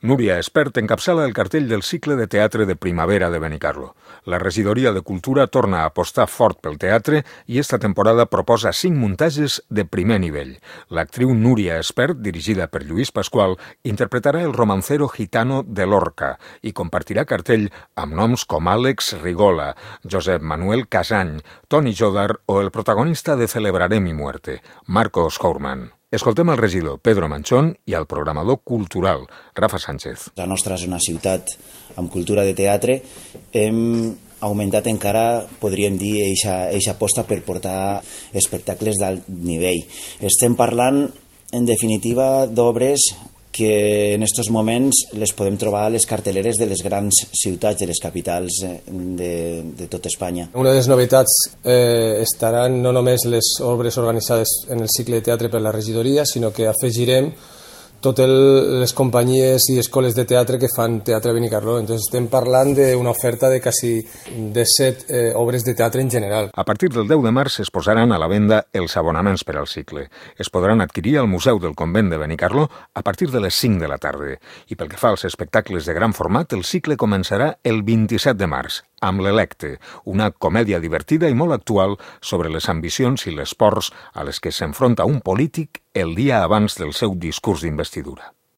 Núria Espert encapçala el cartell del cicle de teatre de primavera de Benicarló. La regidoria de Cultura torna a apostar fort pel teatre i esta temporada proposa 5 muntatges de primer nivell. L'actriu Núria Espert, dirigida per Lluís Pasqual, interpretarà el romancero gitano de Lorca i compartirà cartell amb noms com Àlex Rigola, Josep Manuel Casany, Toni Jodar o el protagonista de Celebraré mi muerte, Marcos Hauermann. Escoltem el regidor Pedro Manchón i el programador cultural Rafa Sánchez. La nostra és una ciutat amb cultura de teatre. Hem augmentat encara, podríem dir, eixa aposta per portar espectacles d'alt nivell. Estem parlant, en definitiva, d'obres que en aquests moments les podem trobar a les carteleres de les grans ciutats, de les capitals de tot Espanya. Una de les novetats estaran no només les obres organitzades en el cicle de teatre per la regidoria, sinó que afegirem totes les companyies i escoles de teatre que fan teatre a Benicarló. Entonces estem parlant d'una oferta de quasi 17 obres de teatre en general. A partir del 10 de març es posaran a la venda els abonaments per al cicle. Es podran adquirir al Museu del Convent de Benicarló a partir de les 5 de la tarda. I pel que fa als espectacles de gran format, el cicle començarà el 27 de març, amb l'Electe, una comèdia divertida i molt actual sobre les ambicions i les pors a les que s'enfronta un polític el dia abans del seu discurs d'investidura.